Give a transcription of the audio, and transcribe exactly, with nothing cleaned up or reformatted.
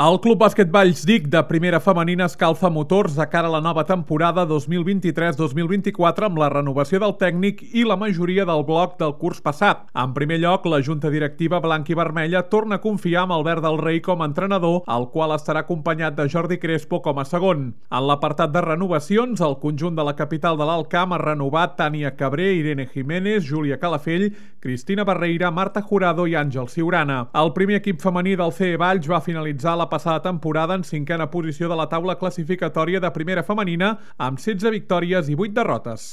El Club Bàsquet Vallsdic de primera femenina escalfa motors de cara a la nova temporada dos mil vint-i-tres dos mil vint-i-quatre amb la renovació del tècnic i la majoria del bloc del curs passat. En primer lloc, la junta directiva blanca i vermella torna a confiar en Albert del Rei com a entrenador, el qual estarà acompanyat de Jordi Crespo com a segon. En l'apartat de renovacions, el conjunt de la capital de l'Alt Camp ha renovat Tània Cabré, Irene Jiménez, Júlia Calafell, Cristina Barreira, Marta Jurado i Àngel Ciurana. El primer equip femení del C E Valls va finalitzar la passada temporada en cinquena posició de la taula classificatòria de primera femenina amb setze victòries i vuit derrotes.